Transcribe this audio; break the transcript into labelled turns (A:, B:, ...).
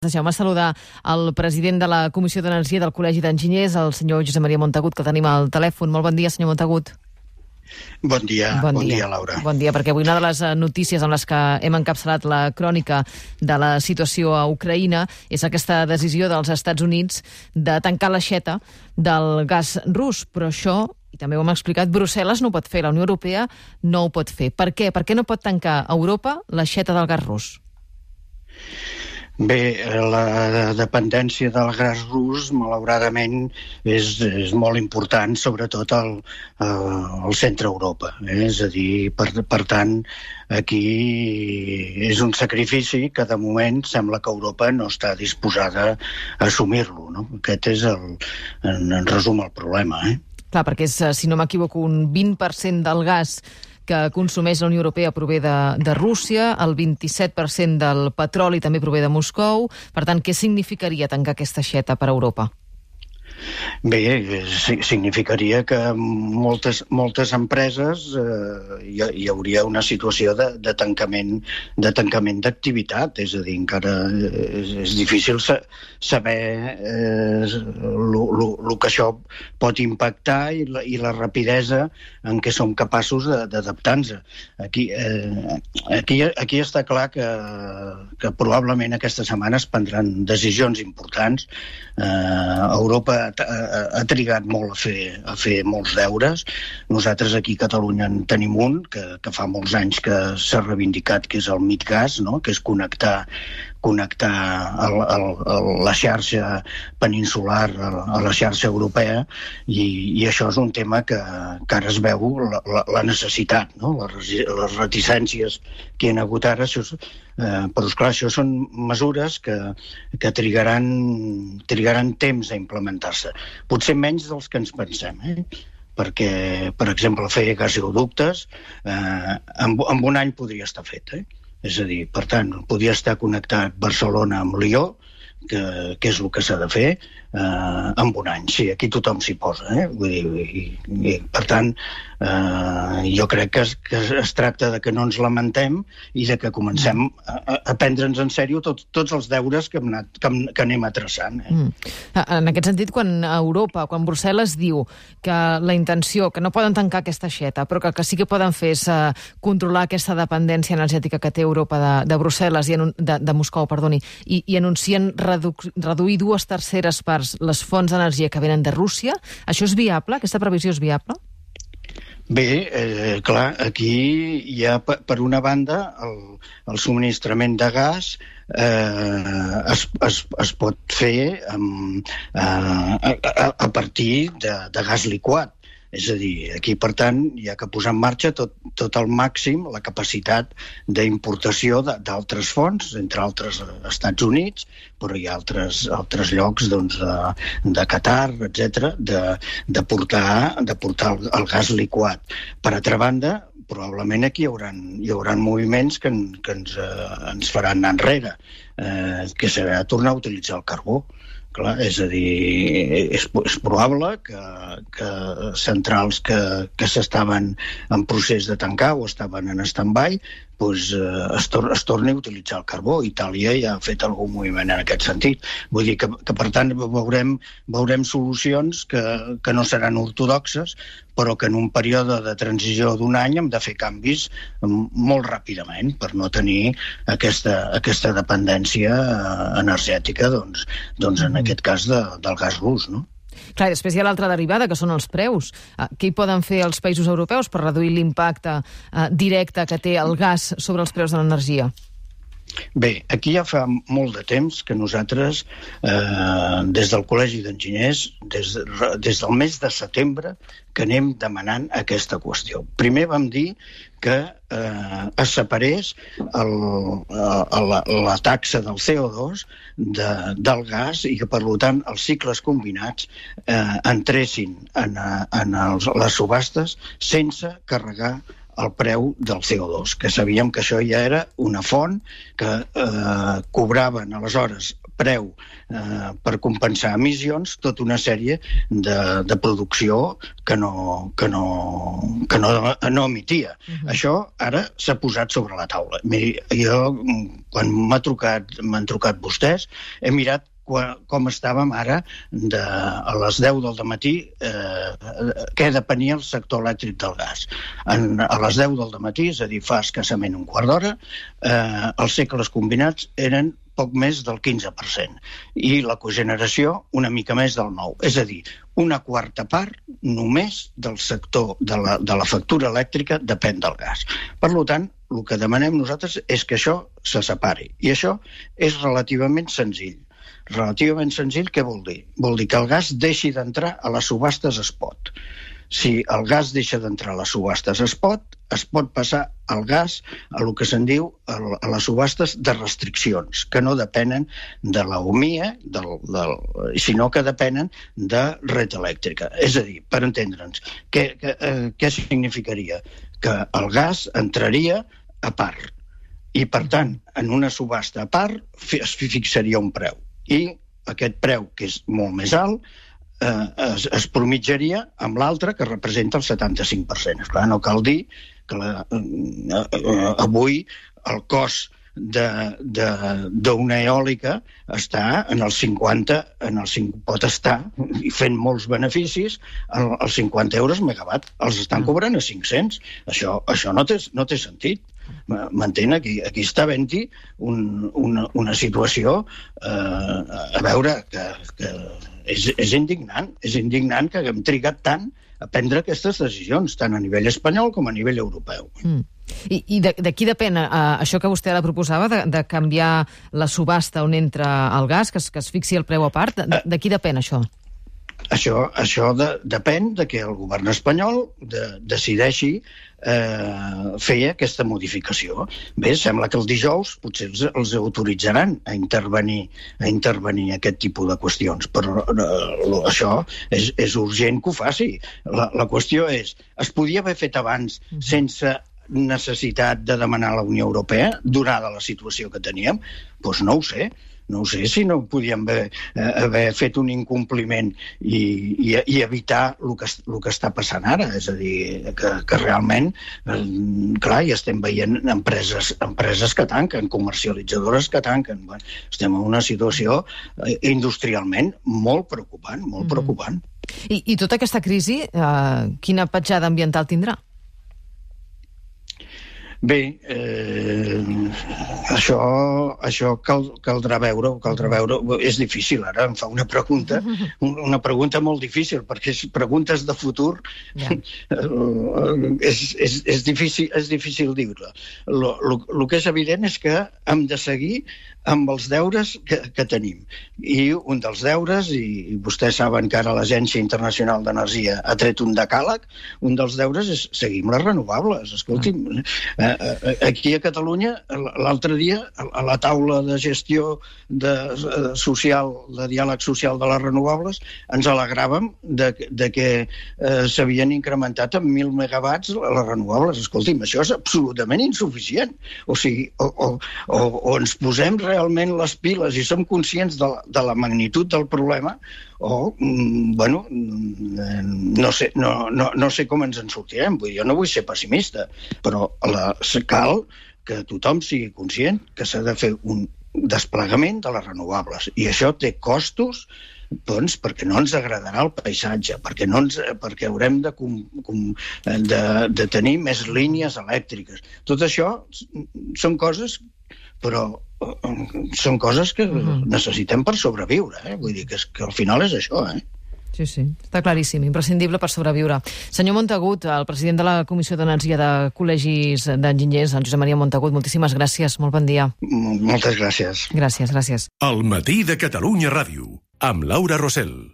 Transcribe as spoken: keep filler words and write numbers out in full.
A: Deixeu-me saludar el president de la Comissió d'Energia del Col·legi d'Enginyers, el senyor Josep Maria Montagut, que tenim al telèfon. Molt bon dia, senyor Montagut.
B: Bon dia, bon, bon dia. dia, Laura.
A: Bon dia, perquè avui una de les notícies amb les que hem encapçalat la crònica de la situació a Ucraïna és aquesta decisió dels Estats Units de tancar l'aixeta del gas rus. Però això, i també ho hem explicat, Brussel·les no ho pot fer, la Unió Europea no ho pot fer. Per què? Per què no pot tancar a Europa l'aixeta del gas rus?
B: Bé, la dependència del gas rus, malauradament, és, és molt important, sobretot al, al centre Europa. Eh? És a dir, per, per tant, aquí és un sacrifici que de moment sembla que Europa no està disposada a assumir-lo. No? Aquest és, el, en, en resum, el problema. Eh?
A: Clar, perquè és, si no m'equivoco, un vint per cent del gas que consumeix la Unió Europea prové de, de Rússia, el vint-i-set per cent del petroli també prové de Moscou. Per tant, què significaria tancar aquesta aixeta per a Europa?
B: Bé, significaria que moltes, moltes empreses eh, hi, hi hauria una situació de, de tancament de tancament d'activitat, és a dir, encara és, és difícil sa, saber el que això pot impactar i la, i la rapidesa en què som capaços d'adaptar-nos. Aquí, eh, aquí, aquí està clar que, que probablement aquesta setmana es prendran decisions importants. Eh, Europa ha trigat molt a fer, a fer molts deures. Nosaltres aquí a Catalunya en tenim un, que, que fa molts anys que s'ha reivindicat, que és el MidGas, no? Que és connectar connectar el, el, el, la xarxa peninsular a, a la xarxa europea, i, i això és un tema que, que ara es veu la, la, la necessitat, no? les, les reticències que hi ha hagut ara, això, eh, però esclar, això són mesures que, que trigaran, trigaran temps a implementar-se. Potser menys dels que ens pensem, eh? Perquè, per exemple, fer gasoductes eh, en, en un any podria estar fet, eh? És a dir, per tant, podria estar connectat Barcelona amb Lió, que, que és el que s'ha de fer, eh, en un any. Sí, aquí tothom s'hi posa. Eh? Vull dir, i, i, per tant, eh, jo crec que es, que es tracta de que no ens lamentem i de que comencem a, a prendre'ns en sèrio tot, tots els deures que, hem anat, que, que anem atraçant. Eh?
A: Mm. En aquest sentit, quan Europa, quan Brussel·les diu que la intenció, que no poden tancar aquesta aixeta, però que, que sí que poden fer és uh, controlar aquesta dependència energètica que té Europa de, de Brussel·les, i de, de Moscou, perdoni, i, i anuncien redu reduir dues terceres parts les fonts d'energia que venen de Rússia, això és viable? Aquesta previsió és viable?
B: Bé, eh, clar, aquí hi ha, per una banda, el, el subministrament de gas eh, es, es, es pot fer amb, eh, a, a partir de, de gas liquat. És a dir, aquí, per tant, hi ha que posar en marxa tot, tot el màxim, la capacitat d'importació d'altres fonts, entre altres Estats Units, però hi ha altres, altres llocs, doncs, de, de Qatar, etcètera, de, de portar, de portar el, el gas liquat. Per altra banda, probablement aquí hi haurà, hi haurà moviments que, en, que ens, eh, ens faran anar enrere, eh, que serà tornar a utilitzar el carbó. Clar, és a dir, és, és probable que, que centrals que, que s'estaven en procés de tancar o estaven en stand-by, doncs, eh, es, tor es torni a utilitzar el carbó. Itàlia ja ha fet algun moviment en aquest sentit. Vull dir que, que per tant, veurem, veurem solucions que, que no seran ortodoxes, però que en un període de transició d'un any hem de fer canvis molt ràpidament per no tenir aquesta, aquesta dependència energètica, doncs, doncs en aquest cas de, del gas rus, no?
A: Clar, i després hi ha l'altra derivada, que són els preus. Què hi poden fer els països europeus per reduir l'impacte eh, directe que té el gas sobre els preus de l'energia?
B: Bé, aquí ja fa molt de temps que nosaltres, eh, des del Col·legi d'Enginyers, des, de, des del mes de setembre, que anem demanant aquesta qüestió. Primer vam dir que eh, es separés el, la, la taxa del C O dos de, del gas i que, per tant, els cicles combinats eh, entressin en, en els, les subhastes sense carregar el preu del C O dos, que sabíem que això ja era una font que eh, cobraven aleshores preu eh, per compensar emissions, tota una sèrie de, de producció que no, que no, que no, no emetia. Uh-huh. Això ara s'ha posat sobre la taula. Miri, jo, quan m'ha trucat, m'han trucat vostès, he mirat com estàvem ara de, a les deu del matí, eh, què depenia el sector elèctric del gas. En, a les deu del matí, és a dir, fa escassament un quart d'hora, eh, els cicles combinats eren poc més del quinze per cent i la cogeneració una mica més del nou. És a dir, una quarta part només del sector de la, de la factura elèctrica depèn del gas. Per tant, el que demanem nosaltres és que això se separi. I això és relativament senzill. Relativament senzill, què vol dir? Vol dir que el gas deixi d'entrar a les subhastes spot. Si el gas deixa d'entrar a les subhastes spot, es pot passar el gas a el que se'n diu a les subhastes de restriccions, que no depenen de la U M I E, del, del, sinó que depenen de red elèctrica. És a dir, per entendre'ns, què, què, eh, què significaria? Que el gas entraria a part. I, per tant, en una subhasta a part es fixaria un preu. I aquest preu, que és molt més alt, eh, es, es promitjaria amb l'altre, que representa el setanta-cinc per cent. Esclar, no cal dir que la, eh, eh, avui el cost d'una eòlica està en el cinquanta, en el cinc, pot estar, i fent molts beneficis, els cinquanta euros megawatt. Els estan cobrant a cinc-cents. Això, això no té, no té sentit. M'entén? Aquí, aquí està havent-hi un, una, una situació eh, a veure que, que és, és indignant. És indignant que haguem trigat tant a prendre aquestes decisions, tant a nivell espanyol com a nivell europeu.
A: Mm. I, i de, de qui depèn uh, això que vostè ara proposava, de, de canviar la subhasta on entra el gas, que es, que es fixi el preu a part? De, de qui depèn això?
B: Això, això de, depèn de que el govern espanyol de, decideixi eh, fer aquesta modificació. Bé, sembla que el dijous potser els, els autoritzaran a intervenir, a intervenir aquest tipus de qüestions, però eh, això és, és urgent que ho faci. La, la qüestió és, es podia haver fet abans sense necessitat de demanar a la Unió Europea, donada la situació que teníem? Doncs no ho sé. No sé si no podíem haver, eh, haver fet un incompliment i, i, i evitar el que, el que està passant ara. És a dir, que, que realment, eh, clar, ja estem veient empreses, empreses que tanquen, comercialitzadores que tanquen. Bueno, estem en una situació eh, industrialment molt preocupant, molt mm-hmm. preocupant.
A: I, I tota aquesta crisi, eh, quina petjada ambiental tindrà?
B: Bé, eh, això, això cal, caldrà veure, caldrà veure. És difícil, ara em fa una pregunta, una pregunta molt difícil, perquè preguntes de futur yeah. és, és, és, difícil, és difícil dir-ho. El que és evident és que hem de seguir amb els deures que, que tenim. I un dels deures, i vostès saben que ara l'Agència Internacional d'Energia ha tret un decàleg, un dels deures és seguir amb les renovables. Escolti'm, eh, aquí a Catalunya, l'altre dia, a la taula de gestió de, social, de diàleg social de les renovables, ens alegràvem de, de que eh, s'havien incrementat en mil megawatts les renovables. Escolti'm, això és absolutament insuficient. O sigui, o, o, o, o ens posem realment les piles i som conscients de la, de la magnitud del problema, o, mm, bueno, no sé, no, no, no sé com ens en sortirem. Vull dir, jo no vull ser pessimista, però la, cal que tothom sigui conscient que s'ha de fer un desplegament de les renovables. I això té costos, doncs, perquè no ens agradarà el paisatge, perquè, no ens, perquè haurem de, com, com, de, de tenir més línies elèctriques. Tot això són coses, però són coses que uh-huh. necessitem per sobreviure. Eh? Vull dir que, és, que al final és això, eh?
A: Sí, sí, està claríssim, imprescindible per sobreviure. Senyor Montagut, el president de la Comissió d'Energia de Col·legis d'Enginyers, en Josep Maria Montagut, moltíssimes gràcies, molt bon dia.
B: Moltes gràcies.
A: Gràcies, gràcies.
C: El matí de Catalunya Ràdio, amb Laura Rosell.